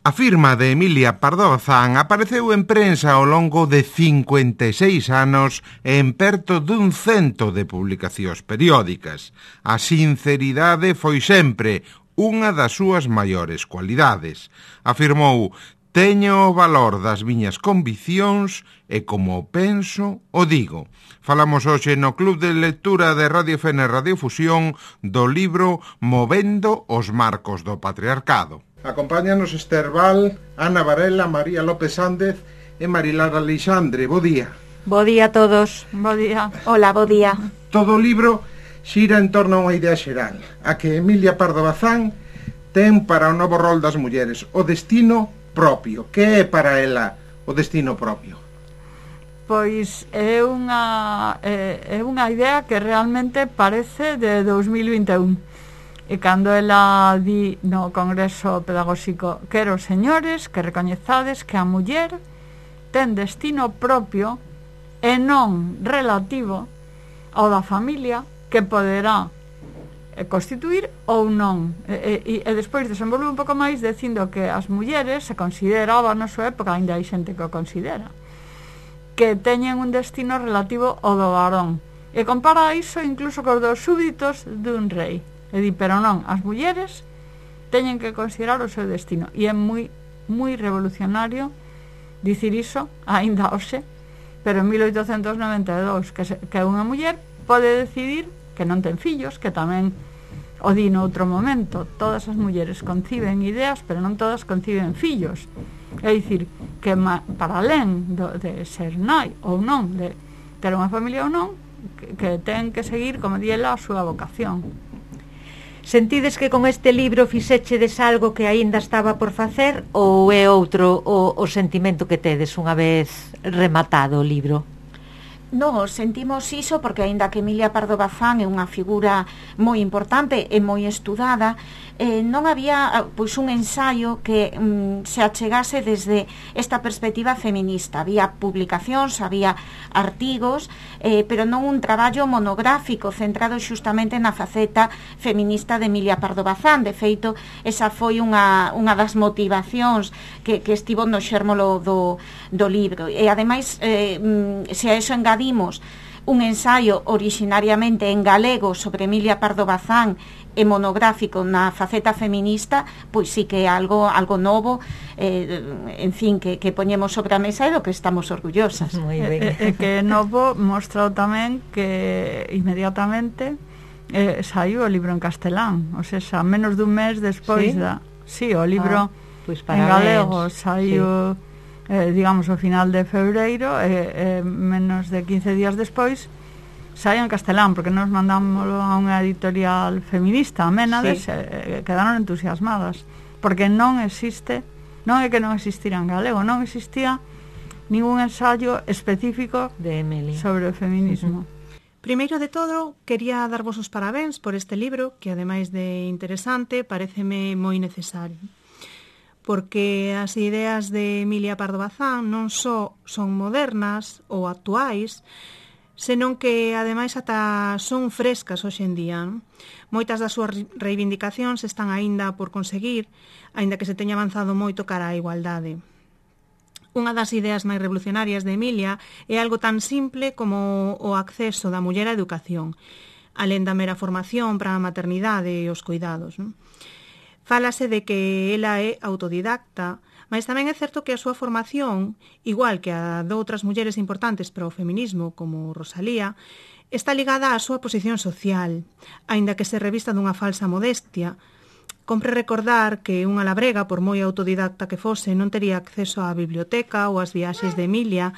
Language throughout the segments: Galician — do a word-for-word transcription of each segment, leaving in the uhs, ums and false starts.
A firma de Emilia Pardo Bazán apareceu en prensa ao longo de cincuenta e seis anos e en perto dun cento de publicacións periódicas. A sinceridade foi sempre unha das súas maiores cualidades. Afirmou: teño o valor das miñas conviccións e como penso o digo. Falamos hoxe no Club de Lectura de Radio Fene Radiofusión do libro Movendo os marcos do patriarcado. Acompáñanos Esther Val, Ana Varela, María López Sández e Marilar Alexandre. Bo día. Bo día a todos. Bo día. Hola, bo día. Todo o libro xira en torno a unha idea xeral, a que Emilia Pardo Bazán ten para o novo rol das mulleres, o destino propio. Que é para ela o destino propio? Pois é unha é, é unha idea que realmente parece de dos mil vinte e un. E cando ela di no Congreso Pedagóxico: quero, señores, que recoñezades que a muller ten destino propio e non relativo ao da familia, que poderá constituir ou non. E, e, e despois desenvolve un pouco máis dicindo que as mulleres se consideraba na súa época, ainda hai xente que o considera, que teñen un destino relativo ao do varón, e compara iso incluso cos dos súbditos dun rei. E di, pero non, as mulleres teñen que considerar o seu destino, e é moi moi revolucionario dicir iso aínda hoxe, pero en mil oitocentos noventa e dous que, se, que unha muller pode decidir que non ten fillos, que tamén o di no outro momento. Todas as mulleres conciben ideas, pero non todas conciben fillos. É dicir, que ma, para alén do, de ser nai ou non, de ter unha familia ou non, que, que ten que seguir, como di ela, a súa vocación. Sentides que con este libro fixechedes algo que aínda estaba por facer, ou é outro o, o sentimento que tedes unha vez rematado o libro? No, sentimos iso porque aínda que Emilia Pardo Bazán é unha figura moi importante e moi estudada, eh, non había pois un ensaio que mm, se achegase desde esta perspectiva feminista. Había publicacións, había artigos, eh, pero non un traballo monográfico centrado xustamente na faceta feminista de Emilia Pardo Bazán. De feito, esa foi unha, unha das motivacións que, que estivo no xérmolo do, do libro. E ademais, eh, se a eso engadimos un ensaio originariamente en galego sobre Emilia Pardo Bazán e monográfico na faceta feminista, pois sí que é algo, algo novo, eh, en fin, que, que poñemos sobre a mesa e do que estamos orgullosas. Moi ben. E, e que novo mostrou tamén que inmediatamente eh, saiu o libro en castelán, o sea, xa menos dun mes despois ¿Sí? da... Sí, o libro ah, pues en galego saiu... Sí. Eh, digamos, ao final de febreiro, e eh, eh, menos de quince días despois sai en castelán, porque nos mandámoslo a unha editorial feminista, a Ménades, sí. eh, quedaron entusiasmadas, porque non existe, non é que non existira en galego, non existía ningún ensayo específico de Emilia sobre o feminismo. Uh-huh. Primeiro de todo, quería darvos os parabéns por este libro, que ademais de interesante, paréceme moi necesario, porque as ideas de Emilia Pardo Bazán non só son modernas ou actuais, senón que ademais ata son frescas hoxe en día. Non? Moitas das súas reivindicacións están aínda por conseguir, aínda que se teña avanzado moito cara á igualdade. Unha das ideas máis revolucionarias de Emilia é algo tan simple como o acceso da muller á educación, alén da mera formación para a maternidade e os cuidados. Non? Fálase de que ela é autodidacta, mas tamén é certo que a súa formación, igual que a de outras mulleres importantes para o feminismo, como Rosalía, está ligada á súa posición social, aínda que se revista dunha falsa modestia. Compre recordar que unha labrega, por moi autodidacta que fose, non tería acceso á biblioteca ou ás viaxes de Emilia,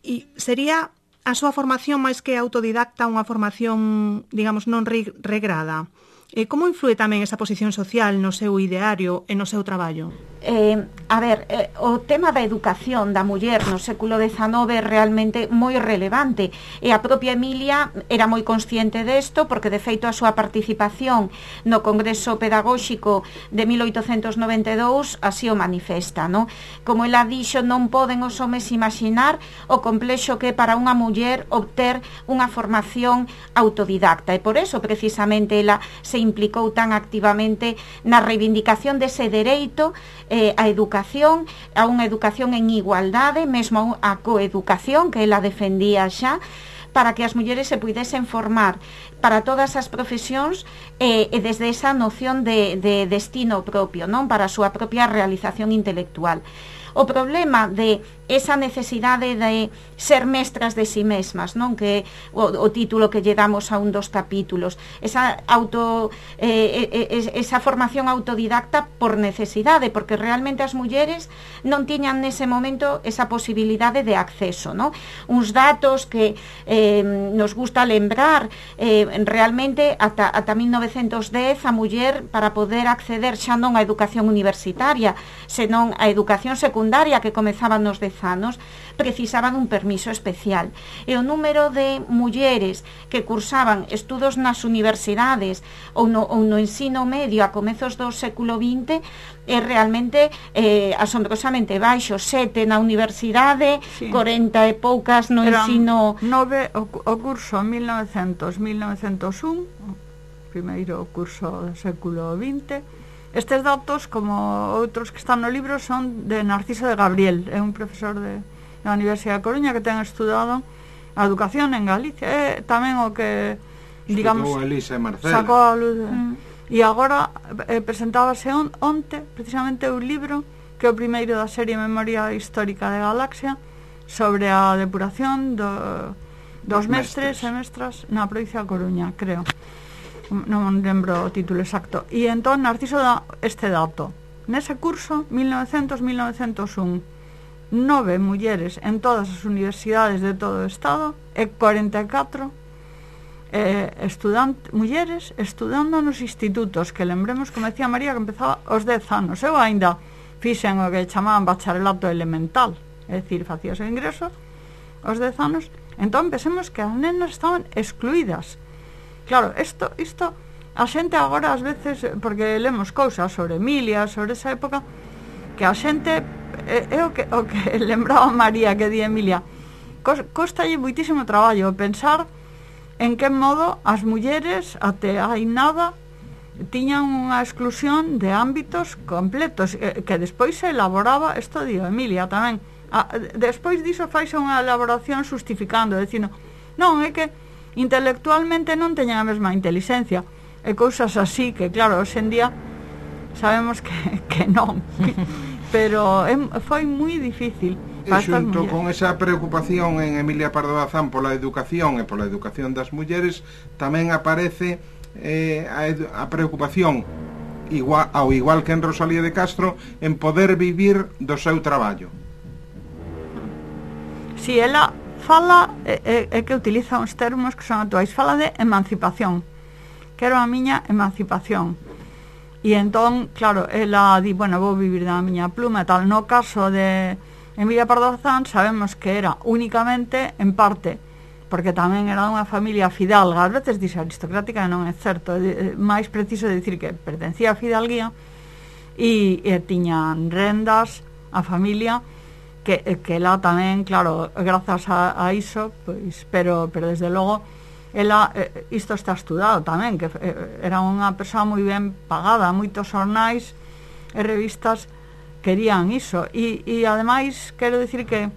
e sería a súa formación máis que autodidacta unha formación, digamos, non regrada. E como influe tamén esa posición social no seu ideario e no seu traballo? Eh, a ver, eh, o tema da educación da muller no século dezanove é realmente moi relevante, e a propia Emilia era moi consciente desto, porque de feito a súa participación no Congreso Pedagóxico de mil oitocentos noventa e dous así o manifesta, non? Como ela dixo, non poden os homes imaginar o complexo que é para unha muller obter unha formación autodidacta, e por eso precisamente ela se implicou tan activamente na reivindicación dese dereito eh, a educación, a unha educación en igualdade, mesmo a coeducación que ela defendía xa, para que as mulleres se puidesen formar para todas as profesións eh, e desde esa noción de, de destino propio, non, para a súa propia realización intelectual. O problema de esa necesidade de ser mestras de si mesmas, non, que o, o título que lle damos a un dos capítulos, esa auto eh, eh, esa formación autodidacta por necesidade, porque realmente as mulleres non tiñan nese momento esa posibilidade de acceso, non? Uns datos que eh, nos gusta lembrar, eh, realmente ata, ata mil novecentos dez a muller, para poder acceder xa non á educación universitaria, senón á educación secundaria que comezaba nos dez anos, precisaban un permiso especial. E o número de mulleres que cursaban estudos nas universidades ou no, ou no ensino medio a comezos do século vinte é realmente eh, asombrosamente baixo. Sete na universidade, sí. corenta e poucas no Eran ensino... nove o, o curso mil novecentos a mil novecentos un, primeiro curso do século vinte. Estes datos, como outros que están no libro, son de Narciso de Gabriel, é un profesor de, da Universidade de Coruña que ten estudado a educación en Galicia, é tamén o que, digamos, Elisa e Marcela. sacou a luz de... Mm. E agora eh, presentábase on, onte, precisamente, un libro que é o primeiro da serie Memoria Histórica de Galaxia sobre a depuración do, dos mestres, mestres e mestras na provincia de Coruña, creo. Non lembro o título exacto. E entón Narciso dá este dato. Nese curso, mil novecentos a mil novecentos un, nove mulleres en todas as universidades de todo o estado e cuarenta e catro eh, estudante, mulleres estudando nos institutos, que lembremos, como decía María, que empezaba aos dez anos. Eu ainda fixen o que chamaban bacharelato elemental, é dicir, facías o ingreso aos dez anos. Entón pensemos que as nenas estaban excluídas. Claro, isto, isto a xente agora ás veces, porque lemos cousas sobre Emilia, sobre esa época, que a xente é, é o, que, o que lembraba María que di Emilia, costalle moitísimo traballo pensar en que modo as mulleres até hai nada tiñan unha exclusión de ámbitos completos, eh, que despois se elaboraba, isto di Emilia tamén, a, despois diso faise unha elaboración justificando, dicindo, non, é que intelectualmente non teñen a mesma inteligencia e cousas así, que claro, hoxe en día sabemos que, que non pero é, foi moi difícil. E xunto con esa preocupación en Emilia Pardo Bazán pola educación e pola educación das mulleres, tamén aparece eh, a, a preocupación igual, ao igual que en Rosalía de Castro, en poder vivir do seu traballo. Si, ela fala, é, é que utiliza uns termos que son actuais, fala de emancipación, quero a miña emancipación, e entón, claro, ela di, bueno, vou vivir da miña pluma e tal. No caso de Emilia Pardo Bazán sabemos que era únicamente en parte, porque tamén era unha familia fidalga, ás veces dixe aristocrática, non é certo, é máis preciso dicir que pertencía a fidalguía e, e tiñan rendas a familia, que, que ela tamén, claro, grazas a, a iso, pois, pero, pero desde logo ela, eh, isto está estudado tamén, que eh, era unha persoa moi ben pagada, moitos xornais e revistas querían iso, e, e ademais quero dicir que,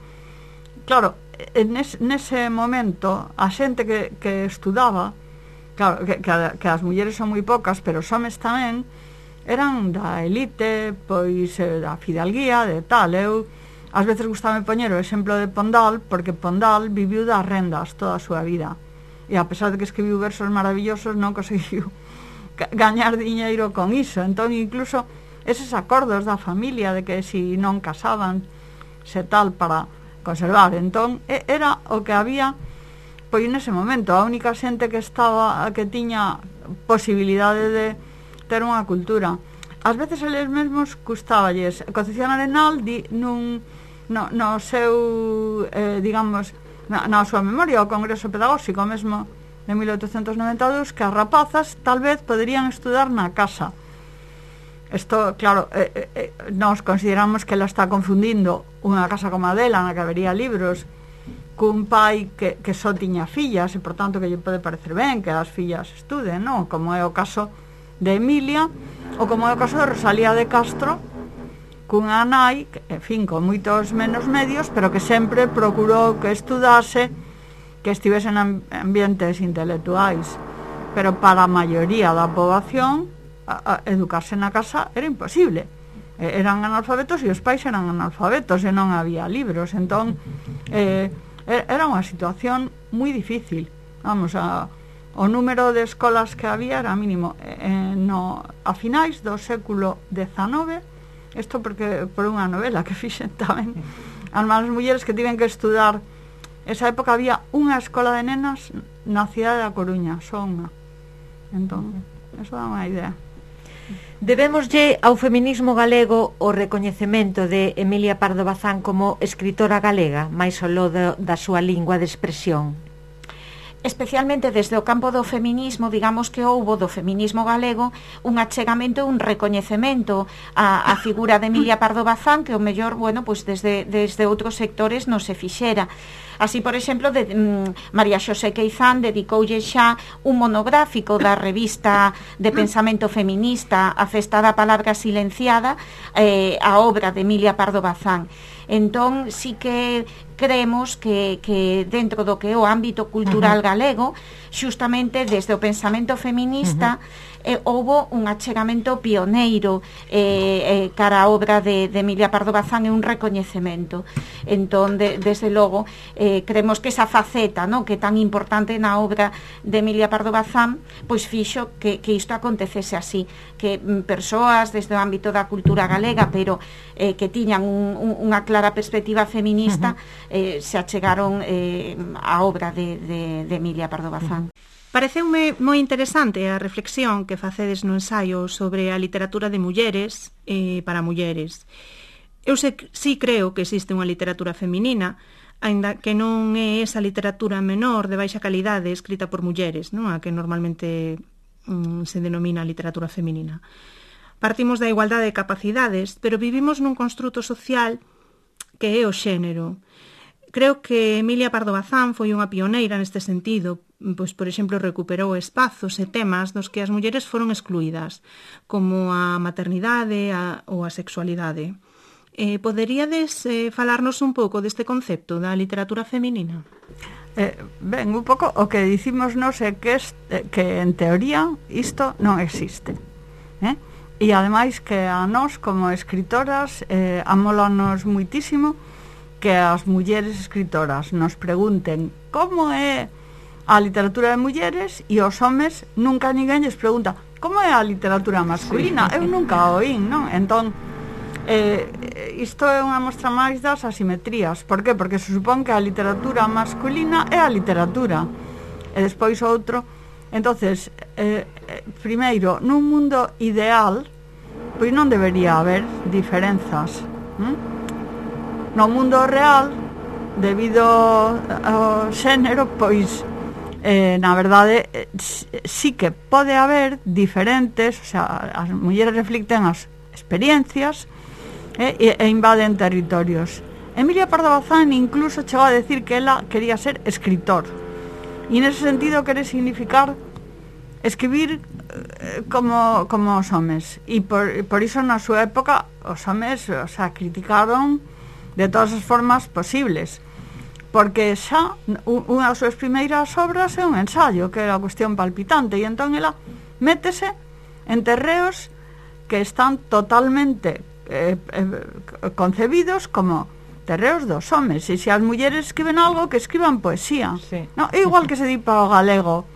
claro, nes, nese momento a xente que, que estudaba, claro, que, que, que as mulleres son moi poucas, pero os homes tamén eran da elite, pois eh, da fidalguía, de tal. Eu ás veces gustame poñer o exemplo de Pondal, porque Pondal viviu das rendas toda a súa vida, e a pesar de que escribiu versos maravillosos, non conseguiu gañar diñeiro con iso. Entón, incluso eses acordos da familia de que si non casaban se tal para conservar, entón era o que había pois nese momento. A única xente que estaba, que tiña posibilidade de ter unha cultura, ás veces eles mesmos custaballes. Concepción Arenal di nun no, no seu eh, digamos na, na súa memoria o Congreso Pedagóxico mesmo de mil oitocentos noventa e dous, que as rapazas tal vez poderían estudar na casa. Isto, claro, eh, eh, nos consideramos que ela está confundindo unha casa como a dela, na que habería libros, cun pai que, que só tiña fillas, e por tanto que lle pode parecer ben que as fillas estuden, non? Como é o caso de Emilia, ou como é o caso de Rosalía de Castro, cunha nai, en fin, con moitos menos medios, pero que sempre procurou que estudase, que estivese en ambientes intelectuais. Pero para a maioría da poboación, a, a educarse na casa era imposible. Eran analfabetos e os pais eran analfabetos e non había libros. Entón, eh, era unha situación moi difícil. Vamos, a, o número de escolas que había era mínimo. Eh, no, a finais do século dezanove, isto porque por unha novela que fixen tamén, as malas mulleres que tiven que estudar, esa época había unha escola de nenas na cidade da Coruña, só unha. Entón, eso dá unha idea. Debémoslle ao feminismo galego o recoñecemento de Emilia Pardo Bazán como escritora galega, máis ao lo da súa lingua de expresión. Especialmente desde o campo do feminismo, digamos que houbo do feminismo galego un achegamento e un recoñecemento a, a figura de Emilia Pardo Bazán, que o mellor, bueno, pues desde, desde outros sectores non se fixera. Así, por exemplo, de, mm, María Xosé Queizán dedicoulle xa un monográfico da revista de pensamento feminista A Festa da Palabra Silenciada, eh, a obra de Emilia Pardo Bazán. Entón, sí que creemos que, que dentro do que é o ámbito cultural uh-huh. galego, xustamente desde o pensamento feminista, uh-huh. eh, houbo un achegamento pioneiro eh, eh, cara a obra de, de Emilia Pardo Bazán e un recoñecemento. Entón, de, desde logo, eh, creemos que esa faceta, no, que é tan importante na obra de Emilia Pardo Bazán, pois fixo que, que isto acontecese así, que mm, persoas desde o ámbito da cultura galega, pero eh, que tiñan un, un, unha clara perspectiva feminista, uh-huh. eh, se achegaron eh, a obra de, de, de Emilia Pardo Bazán. Pareceume moi interesante a reflexión que facedes no ensaio sobre a literatura de mulleres e para mulleres. Eu se, sí creo que existe unha literatura feminina, aínda que non é esa literatura menor de baixa calidade escrita por mulleres, non? A que normalmente mm, se denomina literatura feminina. Partimos da igualdade de capacidades, pero vivimos nun construto social que é o xénero. Creo que Emilia Pardo Bazán foi unha pioneira neste sentido, pois, por exemplo, recuperou espazos e temas dos que as mulleres foron excluídas, como a maternidade a, ou a sexualidade. Eh, poderíades eh, falarnos un pouco deste concepto da literatura feminina? Eh, ben, un pouco o que dicimos nos é que, est, eh, que en teoría isto non existe, eh? E ademais que a nós como escritoras eh, amólanos muitísimo que as mulleres escritoras nos pregunten como é a literatura de mulleres e os homes nunca ninguén lles pregunta como é a literatura masculina. Sí. Eu nunca a oín, non? Entón, eh, isto é unha mostra máis das asimetrías. Por que? Porque se supón que a literatura masculina é a literatura e despois outro. Entonces, eh, primeiro, nun mundo ideal, pois non debería haber diferenzas, hm? No mundo real, debido ao xénero, pois eh, na verdade eh, sí que pode haber diferentes, o sea, as mulleres reflicten as experiencias eh, e, e invaden territorios. Emilia Pardo Bazán incluso chegou a decir que ela quería ser escritor, e nese sentido quere significar escribir eh, como, como os homes, e por, por iso na súa época os homes, o sea, criticaron de todas as formas posibles, porque xa unha das súas primeiras obras é un ensayo que era a cuestión palpitante, e entón ela métese en terreos que están totalmente eh, eh, concebidos como terreos dos homes, e se as mulleres escriben algo, que escriban poesía, sí. No, é igual que se di para o galego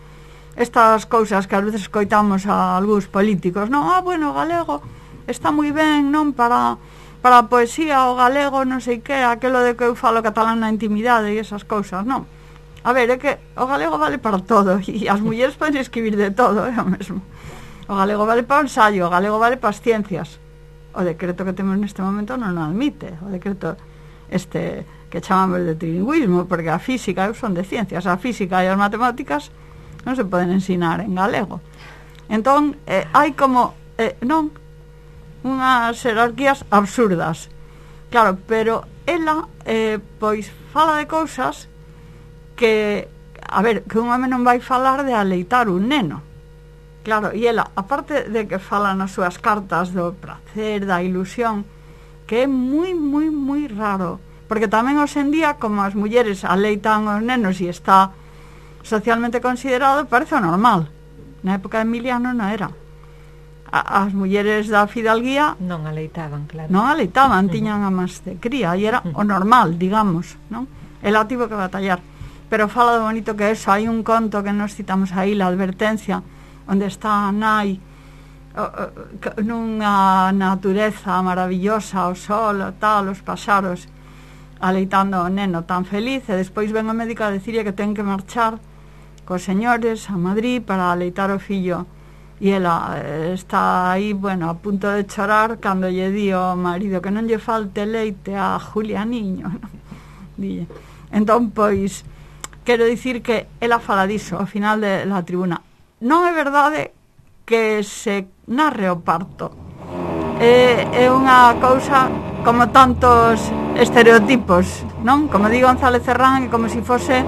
estas cousas que ás veces escoitamos a algúns políticos, non, ah, bueno, o galego está moi ben, non, para para a poesía, o galego, non sei que, aquelo de que eu falo catalán na intimidade e esas cousas, non. A ver, é que o galego vale para todo, e as mulleres poden escribir de todo, é o mesmo. O galego vale para o ensayo, o galego vale para as ciencias. O decreto que temos neste momento non o admite, o decreto este que chamamos de trilingüismo, porque a física, eu son de ciencias, a física e as matemáticas non se poden ensinar en galego. Entón, eh, hai como, eh, non, unhas jerarquías absurdas, claro, pero ela eh, pois fala de cousas que, a ver, que un home non vai falar de aleitar un neno, claro, e ela, aparte de que fala nas súas cartas do placer, da ilusión, que é moi, moi, moi raro. Porque tamén hoxe en día, como as mulleres aleitan os nenos e está socialmente considerado, parece o normal. Na época de Emiliano non era. A, as mulleres da fidalguía non aleitaban, claro. Non aleitaban, tiñan a máis de cría e era o normal, digamos, non? Ela tivo que batallar. Pero fala de bonito que eso, hai un conto que nos citamos aí, La advertencia, onde está a nai nunha natureza maravillosa, o sol, o tal, os paxaros, aleitando o neno tan feliz, e despois ven o médico a dicirle que ten que marchar cos señores a Madrid para aleitar o fillo, e ela está aí, bueno, a punto de chorar cando lle di ao marido que non lle falte leite a Julia niño, non? Dille. Entón, pois, quero dicir que ela fala diso ao final de la tribuna. Non é verdade que se narre o parto. É, é unha cousa como tantos estereotipos, non? Como di González Serrán, é como se fose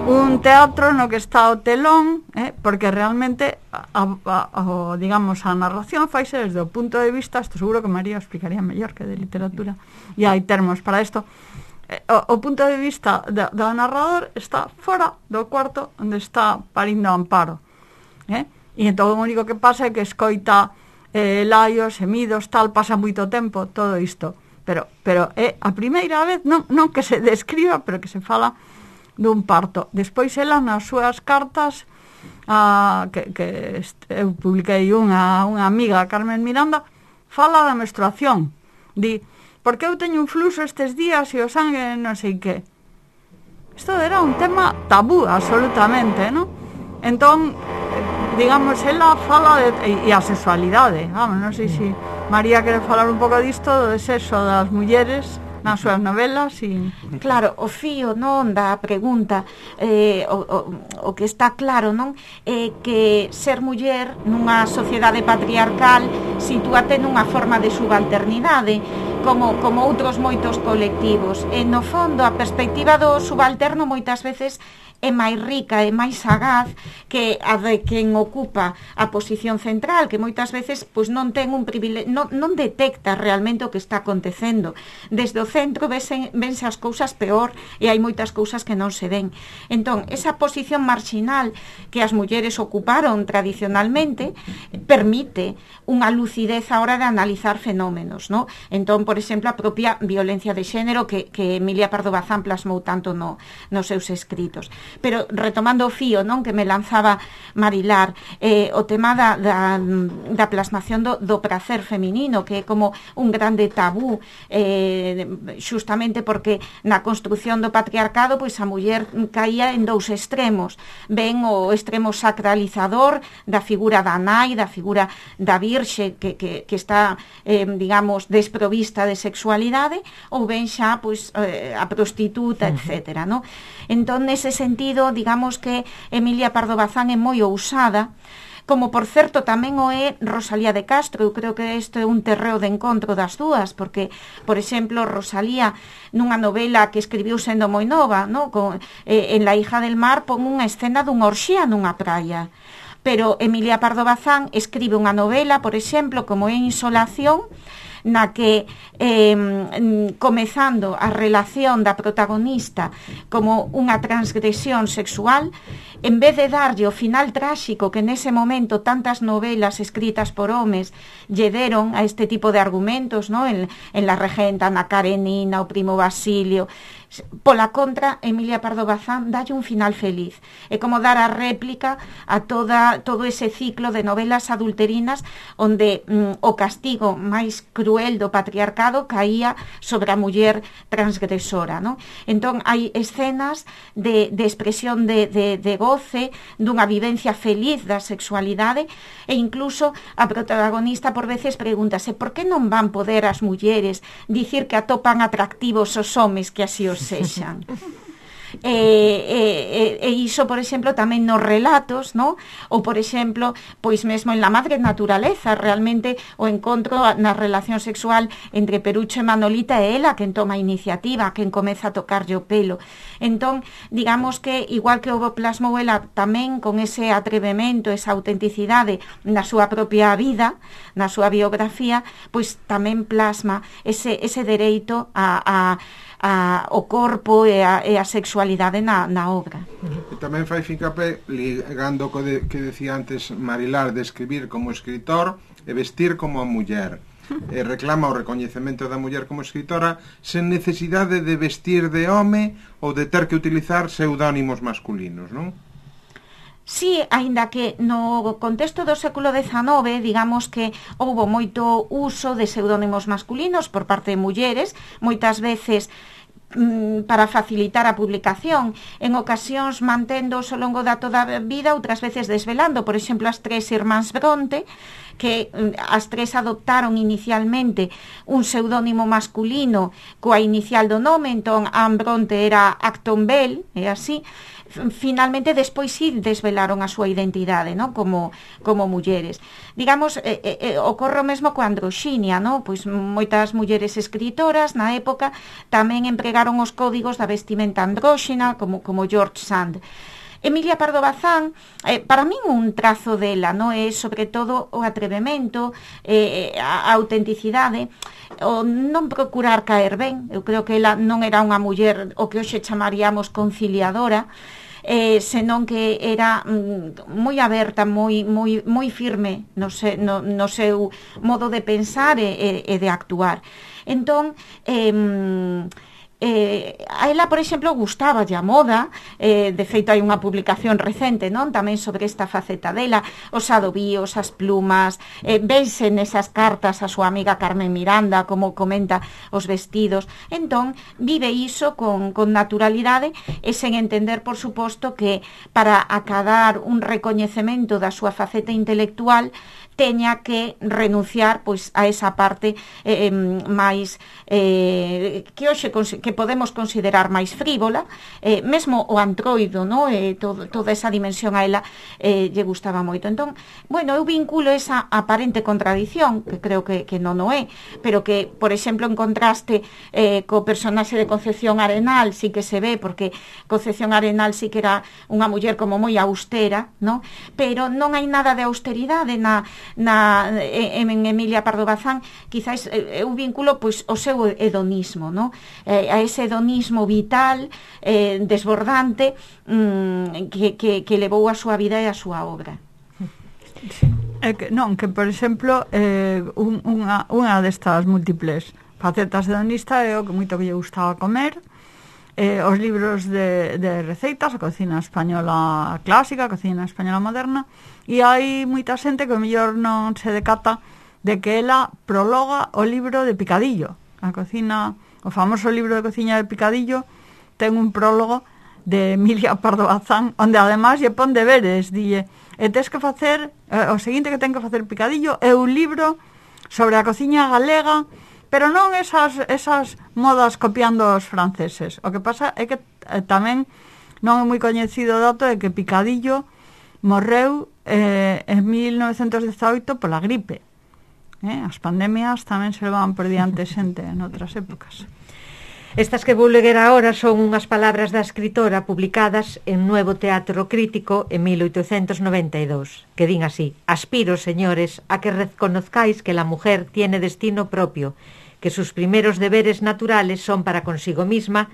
un teatro no que está o telón, eh? Porque realmente a, a, a, digamos, a narración faise desde o punto de vista, isto seguro que María explicaría mellor que de literatura, e hai termos para isto. O, o punto de vista do, do narrador está fora do cuarto onde está parindo Amparo, eh? E entón o único que pasa é que escoita eh, laios, emidos, tal, pasa moito tempo todo isto, pero, pero é a primeira vez non, non que se describa, pero que se fala dun parto. Despois ela nas súas cartas a, que, que eu publiquei unha, unha amiga, Carmen Miranda, fala da menstruación, di, porque eu teño un fluxo estes días e o sangue non sei que. Isto era un tema tabú absolutamente, non? Entón, digamos, ela fala de, e, e a sexualidade, vamos, non sei se María quere falar un pouco disto do sexo das mulleres nas súas novelas e... Claro, o fío non da pregunta eh, o, o, o que está claro, non? É eh, que ser muller nunha sociedade patriarcal sitúate nunha forma de subalternidade como, como outros moitos colectivos, e no fondo a perspectiva do subalterno moitas veces é máis rica e máis sagaz que a de quen ocupa a posición central, que moitas veces pois non ten un privilegio, non, non detecta realmente o que está acontecendo. Desde o centro vense, vense as cousas peor e hai moitas cousas que non se ven. Entón, esa posición marxinal que as mulleres ocuparon tradicionalmente permite unha lucidez a hora de analizar fenómenos, ¿no? Entón, por exemplo, a propia violencia de xénero que, que Emilia Pardo Bazán plasmou tanto no, nos seus escritos. Pero retomando o fío, non, que me lanzaba Marilar, eh, o tema da, da, da plasmación do, do prazer feminino, que é como un grande tabú, eh, xustamente porque na construción do patriarcado pois a muller caía en dous extremos. Ben o extremo sacralizador da figura da nai, da figura da virxe que, que, que está, eh, digamos, desprovista de sexualidade, ou ben xa pois, eh, a prostituta, etcétera, non? Entón, nese sentido, digamos que Emilia Pardo Bazán é moi ousada, como por certo tamén o é Rosalía de Castro. Eu creo que isto é un terreo de encontro das dúas, porque, por exemplo, Rosalía nunha novela que escribiu sendo moi nova, no? Con, eh, en La hija del mar, pon unha escena dunha orxía nunha praia, pero Emilia Pardo Bazán escribe unha novela, por exemplo, como é Insolación, na que eh, comezando a relación da protagonista como unha transgresión sexual, en vez de darlle o final tráxico que nese momento tantas novelas escritas por homes lle deron a este tipo de argumentos, ¿no? en, en La regenta, na Karenina, o primo Basilio, pola contra, Emilia Pardo Bazán dalle un final feliz. É como dar a réplica a toda, todo ese ciclo de novelas adulterinas onde mm, o castigo máis cruel do patriarcado caía sobre a muller transgresora, non? Entón, hai escenas de, de expresión de, de, de goce, dunha vivencia feliz da sexualidade, e incluso a protagonista por veces pregúntase por que non van poder as mulleres dicir que atopan atractivos os homes que así os sexan. E, e, e iso, por exemplo, tamén nos relatos, no? Ou, por exemplo, pois mesmo en La Madre Naturaleza, realmente o encontro na relación sexual entre Perucho e Manolita é ela quen toma a iniciativa, quen comeza a tocarlle o pelo. Entón, digamos que, igual que o plasmou ela tamén con ese atrevemento, esa autenticidade na súa propia vida, na súa biografía, pois tamén plasma ese, ese dereito a, a A, o corpo e a, e a sexualidade na, na obra. E tamén fai fincapé, ligando co de, que decía antes Marilar, de escribir como escritor e vestir como a muller. E reclama o recoñecemento da muller como escritora sen necesidade de vestir de home ou de ter que utilizar pseudónimos masculinos, non? Sí, aínda que no contexto do século dezanove, digamos que houbo moito uso de pseudónimos masculinos por parte de mulleres, moitas veces mm, para facilitar a publicación, en ocasións manténdoos ao longo da toda a vida, outras veces desvelando. Por exemplo, as tres irmáns Bronte, que as tres adoptaron inicialmente un pseudónimo masculino coa inicial do nome, entón Anne Bronte era Acton Bell, e así. Finalmente despois sí desvelaron a súa identidade, ¿no? como, como mulleres. Digamos, eh, eh, ocorre o mesmo coa androxinia, ¿no? Pois moitas mulleres escritoras na época tamén empregaron os códigos da vestimenta andróxina, como, como George Sand. Emilia Pardo Bazán, eh, para min un trazo dela, no é sobre todo o atrevemento, eh, a, a autenticidade, o non procurar caer ben. Eu creo que ela non era unha muller o que hoxe chamaríamos conciliadora, eh, senón que era mm, moi aberta, moi, moi, moi firme no, se, no, no seu modo de pensar e, e de actuar. Entón, eh, Eh, a ela, por exemplo, gustaba a moda, eh, de feito hai unha publicación recente, non? Tamén sobre esta faceta dela, os adobios, as plumas, eh, vense nesas cartas a súa amiga Carmen Miranda, como comenta os vestidos. Entón, vive iso con, con naturalidade e sen entender, por suposto, que para acadar un recoñecemento da súa faceta intelectual teña que renunciar pois a esa parte eh, máis eh, que hoxe que podemos considerar máis frívola, eh, mesmo o antroido, no? eh, todo, toda esa dimensión a ela eh, lle gustaba moito. Entón, bueno, eu vinculo esa aparente contradición, que creo que, que non o é, pero que, por exemplo, en contraste eh, co personaxe de Concepción Arenal sí que se ve, porque Concepción Arenal sí que era unha muller como moi austera, no? Pero non hai nada de austeridade na na en Emilia Pardo Bazán. Quizás eu vinculo pois o seu hedonismo, no? Eh, a ese hedonismo vital, eh, desbordante, mm, que, que, que levou a súa vida e a súa obra. Sí. É que, non, que por exemplo eh, un, unha, unha destas múltiples facetas hedonista é o que moito que lle gustaba comer, eh, os libros de, de receitas, a cocina española clásica, a cocina española moderna, e hai moita xente que o mellor non se decata de que ela prologa o libro de Picadillo. A cocina, o famoso libro de cociña de Picadillo ten un prólogo de Emilia Pardo Bazán, onde además lle pon deberes, dille, e tes que facer, eh, o seguinte que ten que facer Picadillo é un libro sobre a cociña galega, pero non esas, esas modas copiando os franceses. O que pasa é que eh, tamén non é moi coñecido o dato de que Picadillo morreu eh, en mil novecentos dezaoito pola gripe. Eh, as pandemias tamén se levan por diante xente en outras épocas. Estas que vou ler agora son unhas palabras da escritora publicadas en Nuevo Teatro Crítico en mil oitocentos noventa y dos, que din así: aspiro, señores, a que reconozcáis que la mujer tiene destino propio, que sus primeros deberes naturales son para consigo misma,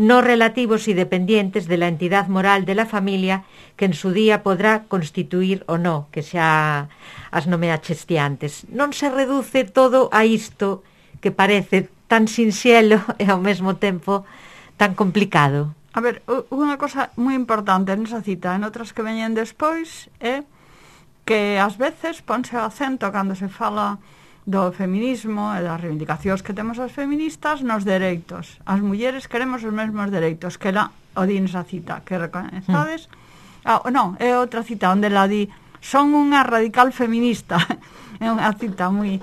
no relativos y dependientes de la entidad moral de la familia que en su día podrá constituir o no, que xa as nomeaches ti antes. Non se reduce todo a isto que parece tan sinxelo e ao mesmo tempo tan complicado. A ver, unha cosa moi importante nesa cita, en outras que veñen despois, é que ás veces ponse o acento cando se fala do feminismo e das reivindicacións que temos as feministas nos dereitos. As mulleres queremos os mesmos dereitos, que ela o di nesa cita, que reconezades. Mm. Ah, non, é outra cita onde la di, son unha radical feminista. É unha cita moi...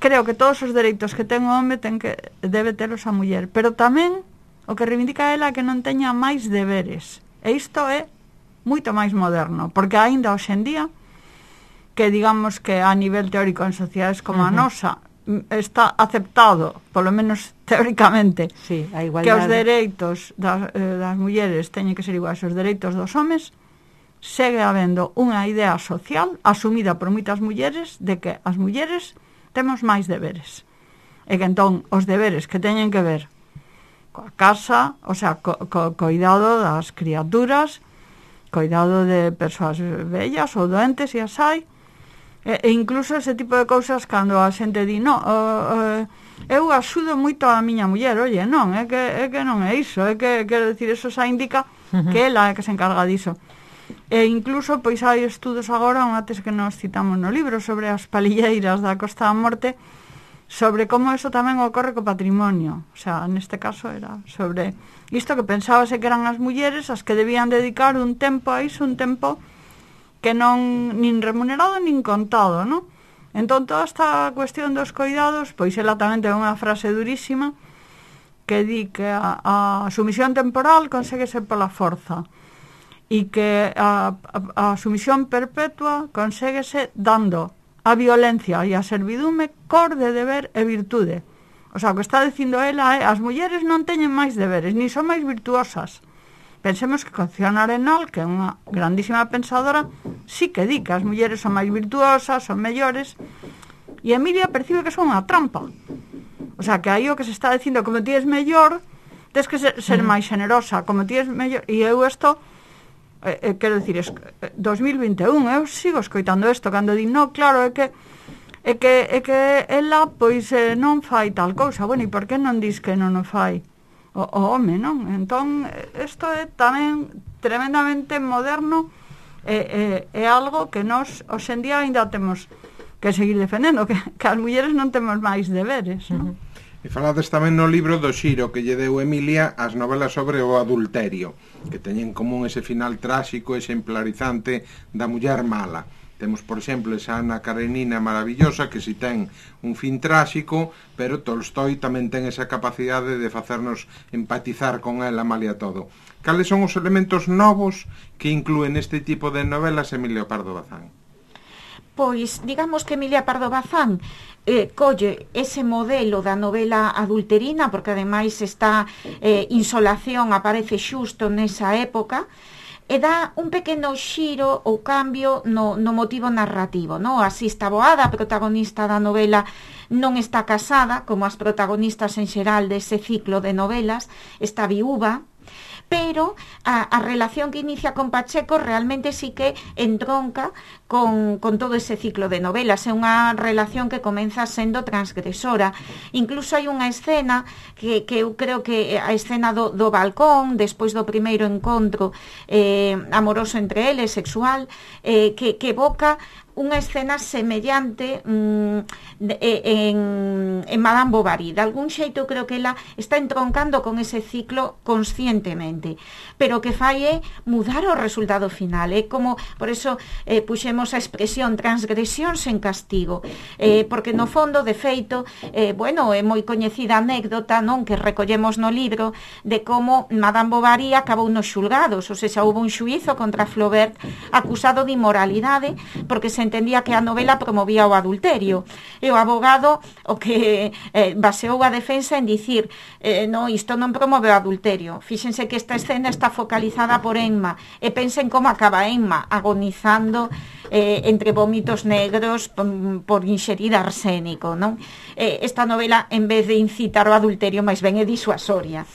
Creo que todos os dereitos que ten o home ten que debe telos a muller, pero tamén o que reivindica ela é que non teña máis deberes. E isto é moito máis moderno, porque aínda hoxe en día, que digamos que a nivel teórico en sociedades como uh-huh. a nosa, está aceptado, polo menos teóricamente, sí, a igualdade, que os dereitos das, eh, das mulleres teñen que ser iguais aos dereitos dos homes, segue habendo unha idea social asumida por moitas mulleres de que as mulleres temos máis deberes. E que entón os deberes que teñen que ver coa casa, o sea, co, co coidado das criaturas, coidado de persoas vellas ou doentes, e as hai, e, e incluso ese tipo de cousas cando a xente di, no, uh, uh, eu axudo moito a miña muller, oye, non, é que, é que non é iso, é que, quero dicir, eso xa indica uh-huh. que ela é que se encarga diso. E incluso, pois hai estudos agora, unha tes que nos citamos no libro, sobre as palilleiras da Costa da Morte, sobre como eso tamén ocorre co patrimonio. O sea, neste caso era sobre isto que pensábase que eran as mulleres as que debían dedicar un tempo a iso, un tempo que non nin remunerado nin contado, non? Entón, toda esta cuestión dos coidados, pois ela tamén ten unha frase durísima que di que a, a sumisión temporal conséguese pola forza e que a, a, a sumisión perpetua conséguese dando a violencia e a servidume cor de deber e virtude. O sea, o que está dicindo ela é as mulleres non teñen máis deberes, ni son máis virtuosas. Pensemos que Concepción Arenal, que é unha grandísima pensadora, sí que di que as mulleres son máis virtuosas, son mellores, e Emilia percibe que son unha trampa. O sea, que aí o que se está dicindo, como ti és mellor, tens que ser, ser máis generosa, como ti és mellor, e eu isto... Eh, eh, quero dicir, es, eh, dos mil vinte e un eu sigo escoitando isto cando di, no, claro, é que é que, é que ela pois eh, non fai tal cousa. Bueno, e por que non dis que non o fai o, o home, non? Entón, isto é tamén tremendamente moderno, e eh, eh, é algo que nos hoxe en día ainda temos que seguir defendendo, que, que as mulleres non temos máis deberes, non? Uh-huh. E falades tamén no libro do xiro que lle deu Emilia as novelas sobre o adulterio, que teñen en común ese final tráxico, exemplarizante da muller mala. Temos, por exemplo, esa Ana Karenina maravillosa que si ten un fin tráxico, pero Tolstoi tamén ten esa capacidade de facernos empatizar con ela malia todo. Cales son os elementos novos que inclúen este tipo de novelas Emilio Pardo Bazán? Pois, digamos que Emilia Pardo Bazán eh, colle ese modelo da novela adulterina, porque ademais esta eh, Insolación aparece xusto nesa época, e dá un pequeno xiro ou cambio no, no motivo narrativo, no? Así está Boada, a protagonista da novela, non está casada, como as protagonistas en xeral dese ciclo de novelas, está viúva, pero a, a relación que inicia con Pacheco realmente sí que entronca con, con todo ese ciclo de novelas. É unha relación que comeza sendo transgresora. Incluso hai unha escena que, que eu creo que a escena do, do balcón, despois do primeiro encontro eh, amoroso entre eles, sexual, eh, que, que evoca unha escena semellante mm, de, en, en Madame Bovary. De algún xeito creo que ela está entroncando con ese ciclo conscientemente, pero o que fai é mudar o resultado final. É como, por eso eh, puxemos a expresión transgresión sen castigo, eh, porque no fondo, de feito, eh, bueno, é moi coñecida anécdota, non, que recollemos no libro, de como Madame Bovary acabou nos xulgados, ou seja, houve un xuízo contra Flaubert acusado de inmoralidade, porque se entendía que a novela promovía o adulterio, e o abogado o que eh, baseou a defensa en dicir eh, no, isto non promove o adulterio. Fíxense que esta escena está focalizada por Emma, e pensen como acaba Emma agonizando eh, entre vómitos negros por, por inxerir arsénico, non? Eh, esta novela, en vez de incitar o adulterio, máis ben é disuasoria.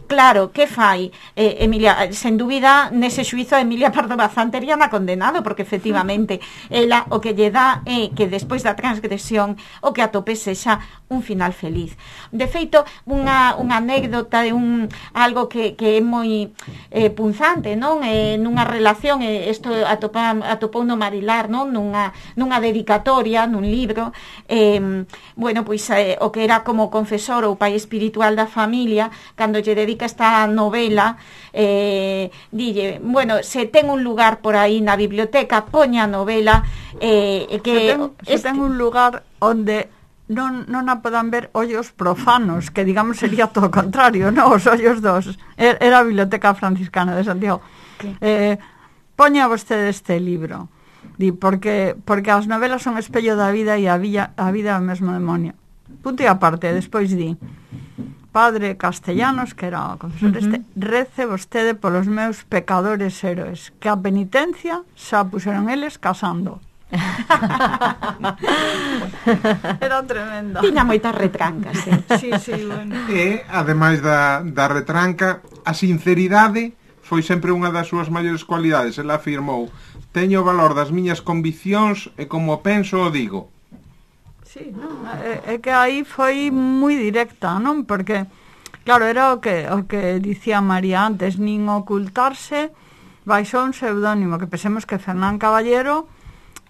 Claro, que fai eh, Emilia? Sen dúbida, nese xuizo Emilia Pardo Bazán teríana condenado, porque efectivamente ela o que lle dá é que despois da transgresión o que atope sexa un final feliz. De feito, unha, unha anécdota de un algo que, que é moi eh, punzante, non? Eh, nunha relación, eh, isto atopa, atopou no Marilar, non? Nunha, nunha dedicatoria, nun libro, eh, bueno, pois eh, o que era como confesor ou pai espiritual da familia, cando lle dedica esta novela, eh, dille, bueno, se ten un lugar por aí na biblioteca, poña a novela, eh, que se ten, se este... ten un lugar onde non, non a podan ver ollos profanos, que digamos sería todo o contrario, non? Os ollos dos. Era a Biblioteca Franciscana de Santiago. Sí. Eh, poña vostede este libro. Di, porque, porque as novelas son espello da vida e a, villa, a vida é o mesmo demonio. Punto e aparte, despois di, Padre Castellanos, que era o confesor uh-huh. este, rece vostede polos meus pecadores héroes, que a penitencia xa puseron eles casando. Era tremenda. Tiña moitas retrancas, eh? Sí, sí, bueno. E, ademais da, da retranca, a sinceridade foi sempre unha das súas maiores cualidades. Ela afirmou: teño o valor das miñas conviccións e como penso o digo. Sí, non, é, é que aí foi moi directa, non? Porque, claro, era o que, o que dicía María antes, nin ocultarse baixo un pseudónimo, que pensemos que Fernán Caballero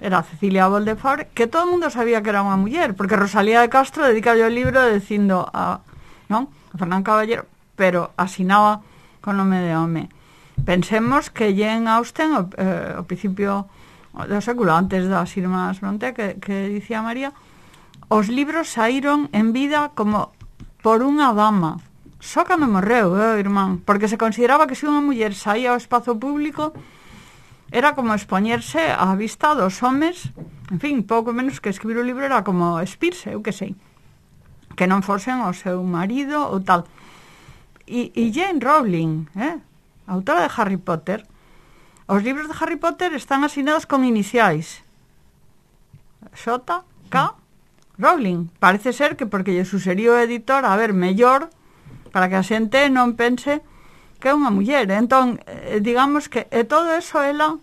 era Cecilia Boldefort, que todo o mundo sabía que era unha muller, porque Rosalía de Castro dedica o libro dicindo a, non? a Fernán Caballero, pero asinaba con nome de home. Pensemos que Jane Austen, o, eh, o principio do século, antes das Irmás Brontë, que, que dicía María, os libros saíron en vida como por unha dama. Só cando morreu, eh, irmán, porque se consideraba que se unha muller saía ao espazo público era como expoñerse á vista dos homes, en fin, pouco menos que escribir un libro era como espirse, eu que sei, que non fosen o seu marido ou tal. E, e Jane Rowling, eh, autora de Harry Potter, os libros de Harry Potter están asinados con iniciais J K Rowling. Parece ser que porque lle suxeriu o editor, a ver, mellor para que a xente non pense que é unha muller. Entón, eh, digamos que é todo eso ela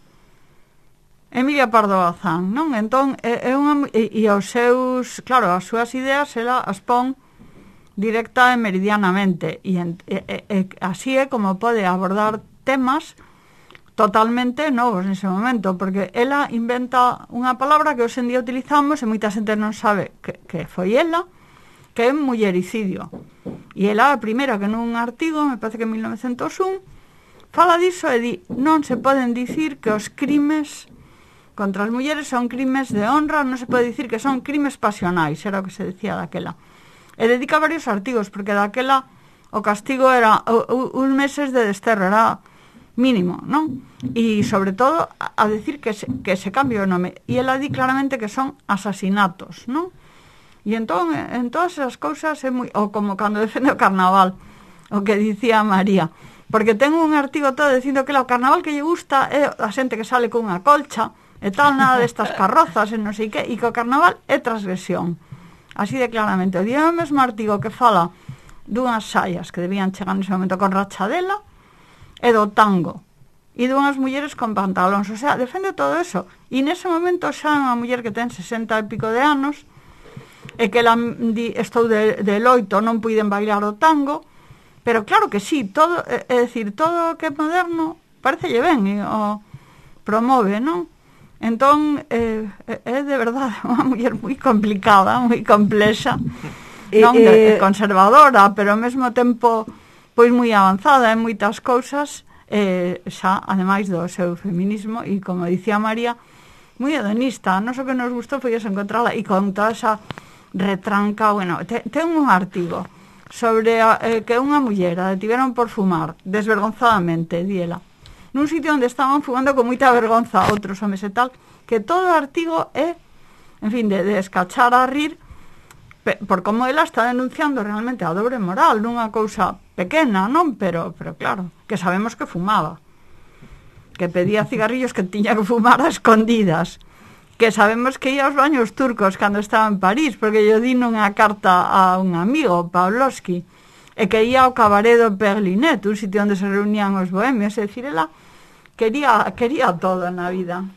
Emilia Pardo Bazán, non? Entón, é, é unha e, e os seus, claro, as súas ideas ela as pon directa e meridianamente e, e, e, e así é como pode abordar temas totalmente novos nese momento, porque ela inventa unha palabra que hoxe en día utilizamos e moita xente non sabe que, que foi ela, que é mullericidio. E ela a primeira que nun artigo, me parece que en mil novecentos un, fala diso e di, non se poden dicir que os crimes contra as mulleres son crimes de honra, non se pode dicir que son crimes pasionais, era o que se decía daquela. E dedica varios artigos, porque daquela o castigo era uns meses de desterro, era mínimo, non? E sobre todo a decir que se, que se cambie o nome. E ela di claramente que son asasinatos, non? E entón, en todas esas cousas é moi... Ou como cando defende o carnaval, o que dicía María. Porque ten un artigo todo dicindo que o carnaval que lle gusta é a xente que sale con unha colcha e tal, nada destas carrozas e non sei que, e que o carnaval é transgresión. Así de claramente. O día o mesmo artigo que fala dunhas saias que debían chegar nese momento con rachadela e do tango e dunhas mulleres con pantalóns, o sea, defende todo eso e nese momento xa é unha muller que ten sesenta e pico de anos e que la, di, estou de, de loito, non puiden bailar o tango, pero claro que sí, todo, é, é dicir, todo o que é moderno parecelle ben e o promove, non? Entón, é, é de verdade unha muller moi complicada, moi complexa, non de, conservadora, pero ao mesmo tempo pois moi avanzada en moitas cousas, eh, xa, ademais do seu feminismo, e como dicía María, moi hedonista. Non o que nos gustou foi eso, encontrala, e con toda esa retranca, bueno, te, ten un artigo sobre a, eh, que unha muller a detiveron por fumar, desvergonzadamente, diela, nun sitio onde estaban fumando con moita vergonza outros homes e tal, que todo o artigo é, en fin, de, de escachar a rir, por como ela está denunciando realmente a dobre moral nunha cousa pequena, non? Pero, pero claro, que sabemos que fumaba, que pedía cigarrillos que tiña que fumar a escondidas, que sabemos que ia aos baños turcos cando estaba en París, porque yo di nunha carta a un amigo, Pavlovsky, e que ia ao cabaret do Perlinet, un sitio onde se reunían os bohemios, é dicir, ela quería, quería todo na vida.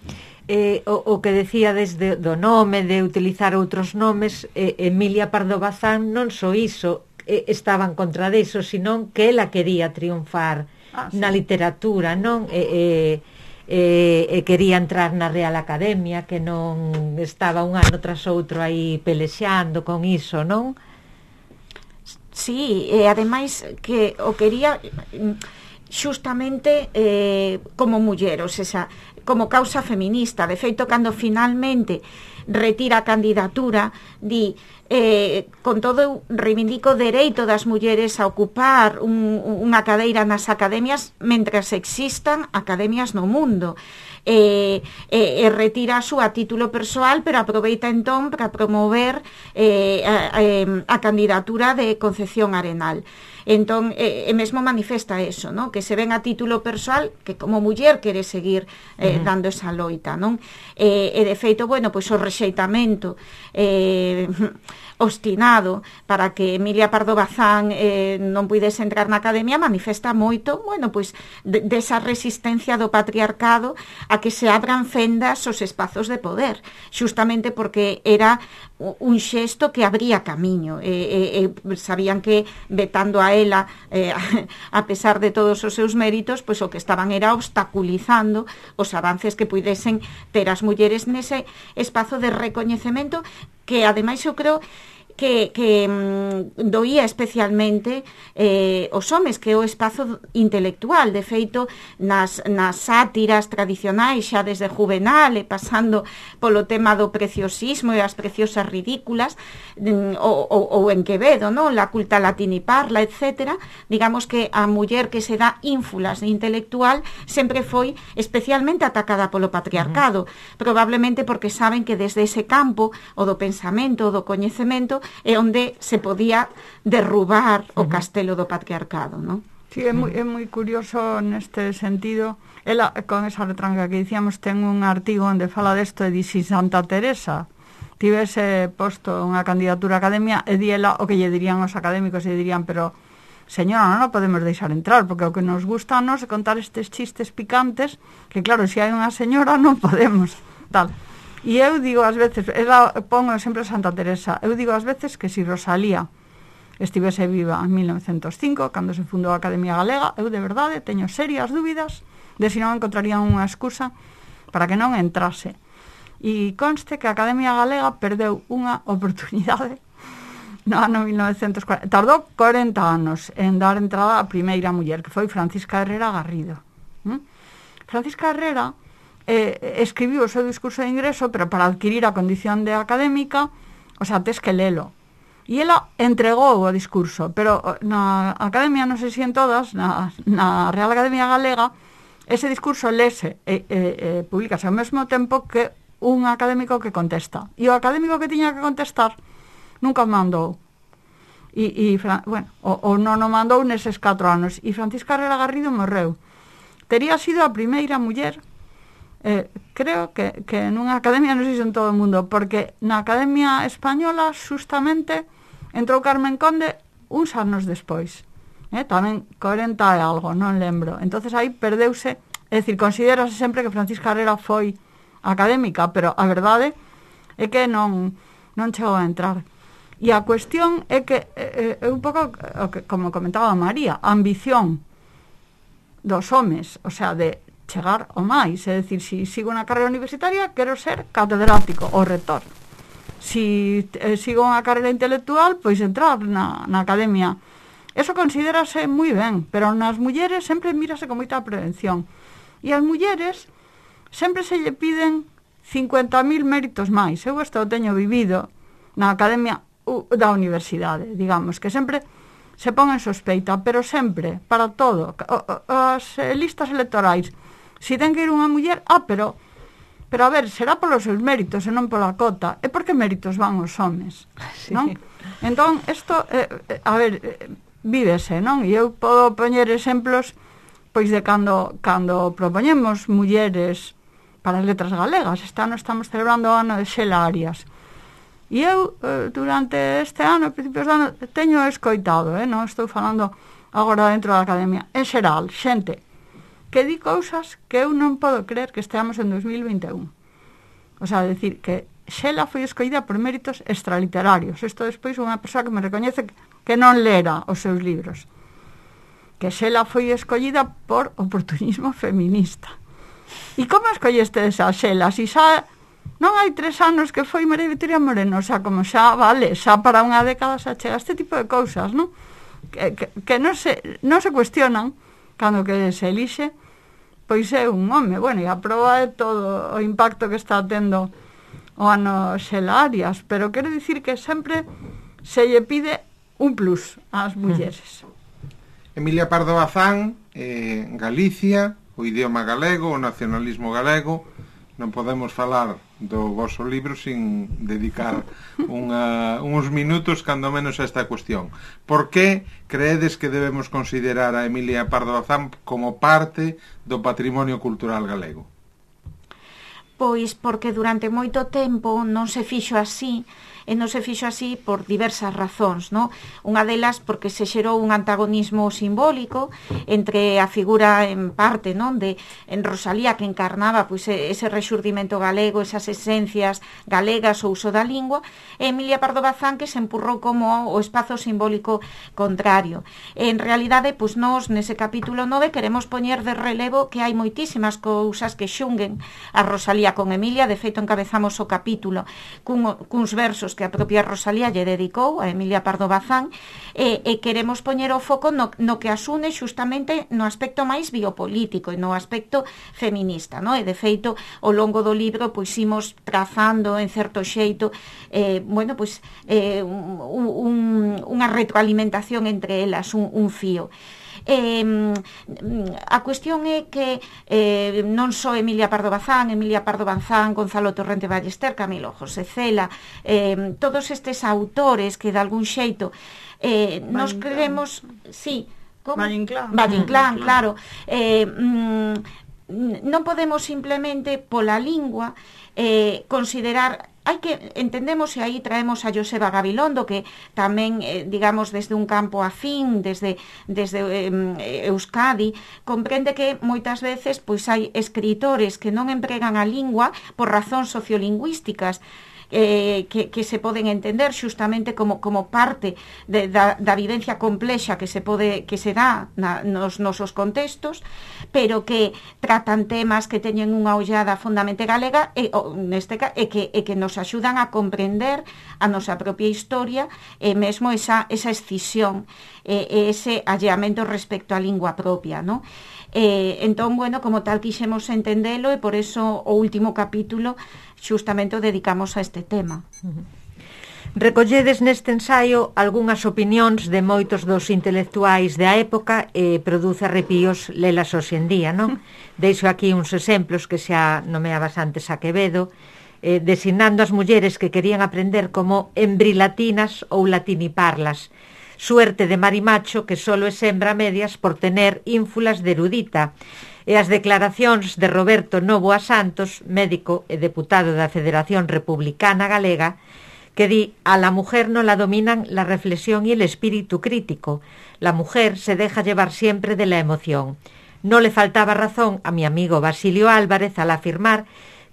Eh, o, o que decía desde do nome, de utilizar outros nomes, eh, Emilia Pardo Bazán non só iso, eh, estaban contra deso, senón que ela quería triunfar ah, sí. na literatura, non? E, eh, eh, eh, quería entrar na Real Academia, que non estaba un ano tras outro aí pelexando con iso, non? Sí, e ademais que o quería xustamente eh, como muller, ou seja, como causa feminista. De feito, cando finalmente retira a candidatura, di eh, con todo reivindico o dereito das mulleres a ocupar un, unha cadeira nas academias mentras existan academias no mundo. E, e, e retira a súa título persoal, pero aproveita entón para promover eh, a, a, a candidatura de Concepción Arenal. Entón, e, e mesmo manifesta eso, ¿no? Que se ven a título persoal que como muller quere seguir eh, uh-huh. dando esa loita, non? E, e de feito, bueno, pois o rexeitamento eh, obstinado para que Emilia Pardo Bazán eh, non puidese entrar na academia manifesta moito, bueno, pois de, desa resistencia do patriarcado a que se abran fendas os espazos de poder, xustamente porque era un xesto que abría camiño, e, e, e sabían que vetando a ela, eh, a pesar de todos os seus méritos, pois o que estaban era obstaculizando os avances que puidesen ter as mulleres nese espazo de recoñecemento que ademais eu creo que, que mm, doía especialmente eh, os homes, que é o espazo intelectual. De feito, nas, nas sátiras tradicionais, xa desde Juvenal e pasando polo tema do preciosismo e as preciosas ridículas, mm, ou, ou, ou en Quevedo, no? La culta latini parla, etcétera, digamos que a muller que se dá ínfulas de intelectual sempre foi especialmente atacada polo patriarcado, uh-huh. probablemente porque saben que desde ese campo, o do pensamento, o do coñecemento, é onde se podía derrubar o castelo do patriarcado, non? Sí, é moi, é moi curioso neste sentido. Ela, con esa retranca que dicíamos, ten un artigo onde fala desto e di si Santa Teresa tivese posto unha candidatura a academia, e di ela o que lle dirían os académicos, e dirían, pero señora, non podemos deixar entrar, porque o que nos gusta a nos é contar estes chistes picantes, que claro, se hai unha señora non podemos, tal. E eu digo ás veces, ela pongo sempre Santa Teresa, eu digo ás veces que se si Rosalía estivese viva en mil novecentos cinco, cando se fundou a Academia Galega, eu de verdade teño serias dúbidas de se non encontrarían unha excusa para que non entrase. E conste que a Academia Galega perdeu unha oportunidade no ano mil novecentos cuarenta, tardou corenta anos en dar entrada a primeira muller, que foi Francisca Herrera Garrido. ¿Mm? Francisca Herrera Eh, escribiu o seu discurso de ingreso, pero para adquirir a condición de académica, o sea, tes que lelo. E ela entregou o discurso, pero na academia, non sei se en todas, na, na Real Academia Galega, ese discurso lese e eh, eh, publicase ao mesmo tempo que un académico que contesta. E o académico que tiña que contestar nunca o mandou. E, e bueno, o, o non o mandou neses catro anos. E Francisca Herrera Garrido morreu. Tería sido a primeira muller, Eh, creo que, que nunha academia, non sei se en todo o mundo, porque na Academia Española justamente entrou Carmen Conde uns anos despois, eh, tamén corenta e algo, non lembro. Entonces aí perdeuse, é dicir, considerase sempre que Francisca Herrera foi académica, pero a verdade é que non, non chegou a entrar. E a cuestión é que é, é un pouco, como comentaba María, a ambición dos homes, o sea, de chegar ao máis, é dicir, se si sigo unha carreira universitaria, quero ser catedrático ou rector. Se si, eh, sigo unha carreira intelectual, pois entrar na, na academia. Eso considérase moi ben, pero nas mulleres sempre mírase con moita prevención. E as mulleres sempre se lle piden cincuenta mil méritos máis. Eu isto o teño vivido na academia da universidade, digamos, que sempre se pon en sospeita, pero sempre, para todo, as listas electorais, si ten que ir unha muller, ah, pero pero a ver, será polos seus méritos e non pola cota. E por que méritos van os homes? Sí. Non? Entón, isto, eh, a ver, eh, vívese, non? E eu podo poñer exemplos pois de cando, cando propoñemos mulleres para as letras galegas. Este ano estamos celebrando o ano de Xela Arias. E eu, eh, durante este ano, principios de ano, teño escoitado, eh, non estou falando agora dentro da academia, en xeral, xente que di cousas que eu non podo creer que esteamos en dos mil vinte e un. O sea, decir que Xela foi escollida por méritos extraliterarios. Isto despois unha persoa que me recoñece que non lera os seus libros. Que Xela foi escollida por oportunismo feminista. E como escolleste esa Xela? Si xa non hai tres anos que foi María Victoria Moreno, o sea, como xa vale, xa para unha década xa chega este tipo de cousas, non? Que, que, que non se, non se cuestionan cando que se elixe, pois é un home. Bueno, e a proba é todo o impacto que está tendo o ano Xelarias, pero quero dicir que sempre se lle pide un plus ás mulleres. Emilia Pardo Bazán, eh, Galicia, o idioma galego, o nacionalismo galego. Non podemos falar do vosso libro sin dedicar unha, uns minutos cando menos a esta cuestión. Por que creedes que debemos considerar a Emilia Pardo Bazán como parte do patrimonio cultural galego? Pois porque durante moito tempo non se fixo así, e non se fixo así por diversas razóns, no? Unha delas porque se xerou un antagonismo simbólico entre a figura en parte, non, de en Rosalía, que encarnaba pois ese rexurdimento galego, esas esencias galegas, o uso da lingua, e Emilia Pardo Bazán, que se empurrou como o espazo simbólico contrario. En realidade, pois nós nese capítulo nove queremos poñer de relevo que hai moitísimas cousas que xunguen a Rosalía con Emilia. De feito, encabezamos o capítulo cun, cuns versos que a propia Rosalía lle dedicou a Emilia Pardo Bazán, e, e queremos poñer o foco no, no que asune xustamente no aspecto máis biopolítico e no aspecto feminista, no? E de feito, ao longo do libro pois imos trazando en certo xeito eh, bueno, pois eh, un, un, unha retroalimentación entre elas, un, un fío. Eh, a cuestión é que eh, non só Emilia Pardo Bazán, Emilia Pardo Bazán, Gonzalo Torrente Ballester, Camilo José Cela, eh, todos estes autores que de algún xeito eh, nos creemos, sí, Valle Inclán, Valle Inclán, claro, eh, mm, non podemos simplemente pola lingua eh, considerar. Hai que, entendemos, e aí traemos a Joseba Gabilondo, que tamén, eh, digamos, desde un campo afín, desde, desde eh, Euskadi, comprende que moitas veces pois hai escritores que non empregan a lingua por razóns sociolingüísticas, Eh, que, que se poden entender xustamente como, como parte de, da, da vivencia complexa que se pode que se dá na, nos nosos contextos, pero que tratan temas que teñen unha ollada fondamente galega e, o, neste, e, que, e que nos axudan a comprender a nosa propia historia e mesmo esa, esa escisión e, e ese alleamento respecto á lingua propia, non? Eh, entón, bueno, como tal quixemos entendelo, e por eso o último capítulo xustamente o dedicamos a este tema. Recolledes neste ensaio algunhas opinións de moitos dos intelectuais da época e produce arrepíos lelas hoxe en día, non? Deixo aquí uns exemplos que xa nomeabas antes a Quevedo, eh, designando as mulleres que querían aprender como embrilatinas ou latiniparlas. Suerte de marimacho que solo é sembra medias por tener ínfulas de erudita. E as declaracións de Roberto Novoa Santos, médico e deputado da Federación Republicana Galega, que di: a la mujer no la dominan la reflexión y el espíritu crítico. La mujer se deja llevar siempre de la emoción. No le faltaba razón a mi amigo Basilio Álvarez al afirmar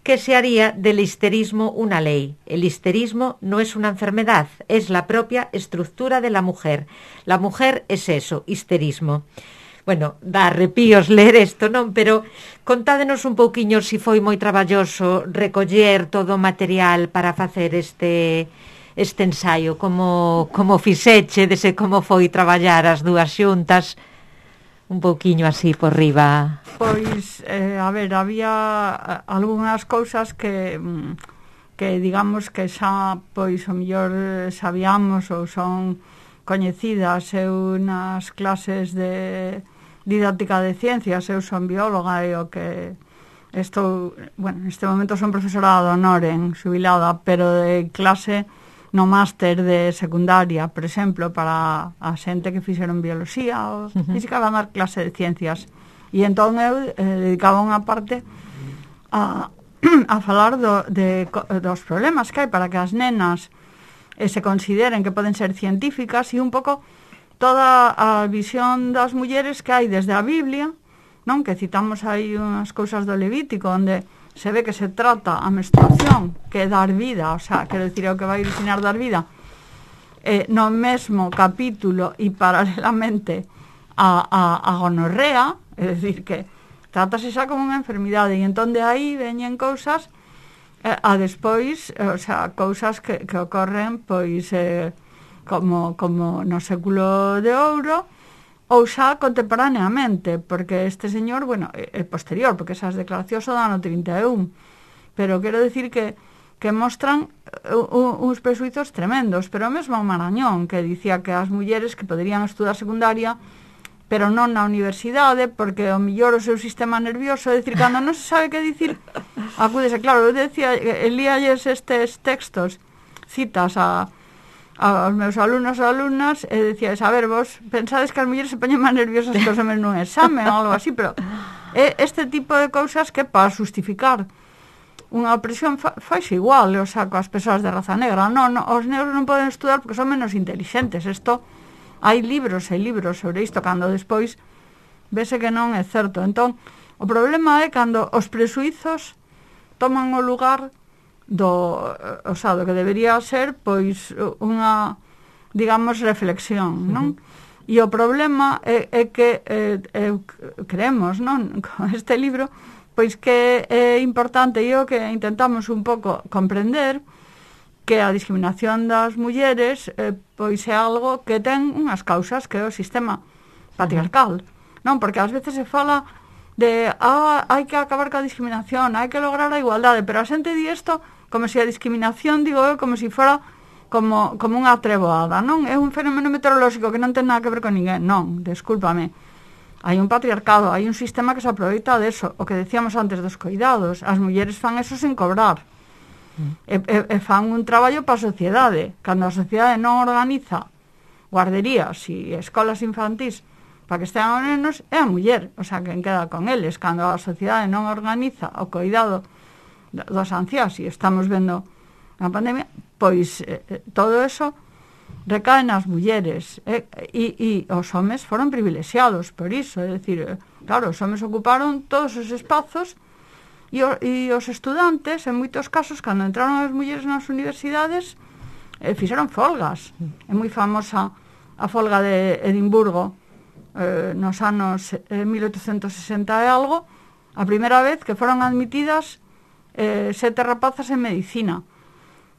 que se haría del histerismo una ley. El histerismo no es una enfermedad, es la propia estructura de la mujer. La mujer es eso, histerismo. Bueno, dá arrepíos ler isto, non? Pero contádenos un pouquiño se foi moi traballoso recoller todo o material para facer este este ensaio, como, como fixeche, dese como foi traballar as dúas xuntas, un pouquiño así por riba. Pois, eh, a ver, había algunhas cousas que que digamos que xa, pois, o mellor sabíamos ou son coñecidas. Eu nas clases de didáctica de ciencias, eu son bióloga e o que estou, bueno, neste momento son profesora de honor en xubilada, pero de clase no máster de secundaria, por exemplo, para a xente que fixeron bioloxía ou física, van dar clase de ciencias. E entón eu eh, dedicaba unha parte a, a falar do, de, dos problemas que hai para que as nenas eh, se consideren que poden ser científicas, e un pouco toda a visión das mulleres que hai desde a Biblia, non? Que citamos aí unhas cousas do Levítico onde se ve que se trata a menstruación, que é dar vida, o sea, quero dicir, é o que vai originar dar vida, eh, no mesmo capítulo e paralelamente a, a, a gonorrea, é dicir, que tratase xa como unha enfermidade, e entón de aí veñen cousas eh, a despois, eh, o sea, cousas que, que ocorren, pois, eh, como, como no século de ouro, ou xa contemporaneamente, porque este señor, bueno, é posterior, porque esas declaracións son do ano trinta e un, pero quero dicir que que mostran uh, uns presuizos tremendos, pero mesmo Marañón, que dicía que as mulleres que poderían estudar secundaria pero non na universidade, porque o millor o seu sistema nervioso, é dicir, cando non se sabe que dicir, acúdese. Claro, eu decía, elíalles estes textos, citas a, aos meus alumnos e alumnas, e decía, a ver, vos pensades que as mulleres se poñen máis nerviosas que os homes nun examen, ou algo así, pero é este tipo de cousas que para justificar unha opresión fa, faise igual, o sea, coas persoas de raza negra. Non, non, os negros non poden estudar porque son menos inteligentes. Isto, hai libros e libros sobre isto, cando despois vese que non é certo. Entón, o problema é cando os presuizos toman o lugar do, o sea, do que debería ser, pois, unha, digamos, reflexión, non? Uh-huh. E o problema é, é que eh, eh, creemos, non, con este libro, pois que é importante, e o que intentamos un pouco comprender, que a discriminación das mulleres eh, pois é algo que ten unhas causas, que é o sistema patriarcal, non? Porque ás veces se fala de ah, hai que acabar ca discriminación, hai que lograr a igualdade, pero a xente di isto como se a discriminación, digo eu, como se si fora como, como unha treboada, non? É un fenómeno meteorolóxico que non ten nada que ver con ninguén, non, descúlpame. Hai un patriarcado, hai un sistema que se aproveita deso, o que decíamos antes dos coidados, as mulleres fan eso sen cobrar. E, e, e fan un traballo para a sociedade. Cando a sociedade non organiza guarderías e escolas infantís para que estean os nenos, é a muller, o sea, quen queda con eles. Cando a sociedade non organiza o cuidado dos anciáns, e estamos vendo na pandemia, pois eh, todo eso recae nas mulleres, eh, e, e os homes foron privilexiados por iso, é dicir, claro, os homes ocuparon todos os espazos. E, o, e os estudantes, en moitos casos, cando entraron as mulleres nas universidades, eh, fixeron folgas. É moi famosa a folga de Edimburgo eh, nos anos eh, mil oitocentos sesenta e algo, a primeira vez que foron admitidas eh, sete rapazas en medicina.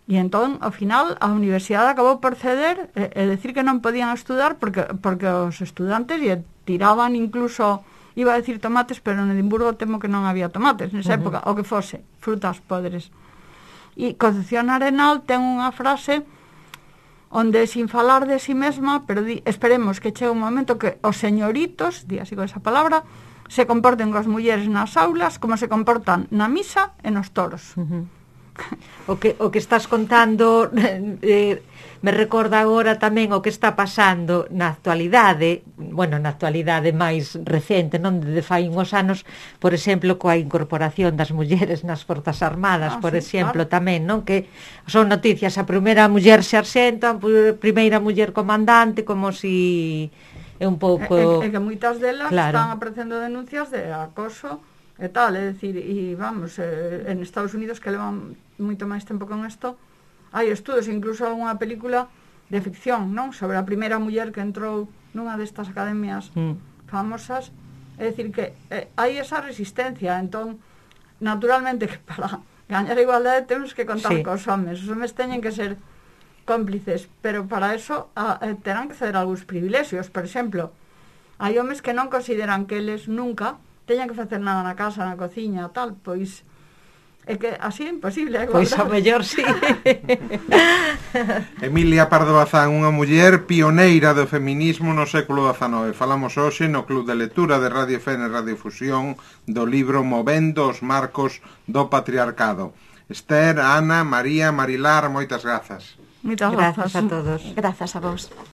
E entón, ao final, a universidade acabou por ceder e, e decir que non podían estudar porque, porque os estudantes e tiraban incluso... Iba a decir tomates, pero en Edimburgo temo que non había tomates nesa uh-huh. época, o que fose, frutas podres. E Concepción Arenal ten unha frase onde, sin falar de si mesma, pero di, esperemos que chegue un momento que os señoritos, di así con esa palabra, se comporten coas mulleres nas aulas como se comportan na misa e nos toros. Uh-huh. O que, o que estás contando eh, me recorda agora tamén o que está pasando na actualidade, bueno, na actualidade máis recente, non de fai uns anos, por exemplo, coa incorporación das mulleres nas Forzas Armadas, ah, por sí, exemplo, claro. Tamén, non? Que son noticias, a primeira muller sarxento, a primeira muller comandante, como si é un pouco... É, é que moitas delas claro. Están aparecendo denuncias de acoso e tal, é dicir, e vamos, eh, en Estados Unidos, que levan moito máis tempo con isto, hai estudos, incluso algunha película de ficción, non? Sobre a primeira muller que entrou nunha destas academias mm. famosas, é dicir que eh, hai esa resistencia, entón, naturalmente que para gañar a igualdade temos que contar sí. cos homes, os homes teñen que ser cómplices, pero para eso a, eh, terán que ceder algúns privilexios, por exemplo, hai homes que non consideran que eles nunca teñan que facer nada na casa, na cociña, tal, pois é que así é imposible. É pois ao mellor sí. Emilia Pardo Bazán, unha muller pioneira do feminismo no século dezanove. Falamos hoxe no Club de Lectura de Radio F N Radio Fusión do libro Movendo os marcos do patriarcado. Esther, Ana, María, Marilar, moitas grazas. Moitas grazas grazas a todos. Grazas a vos.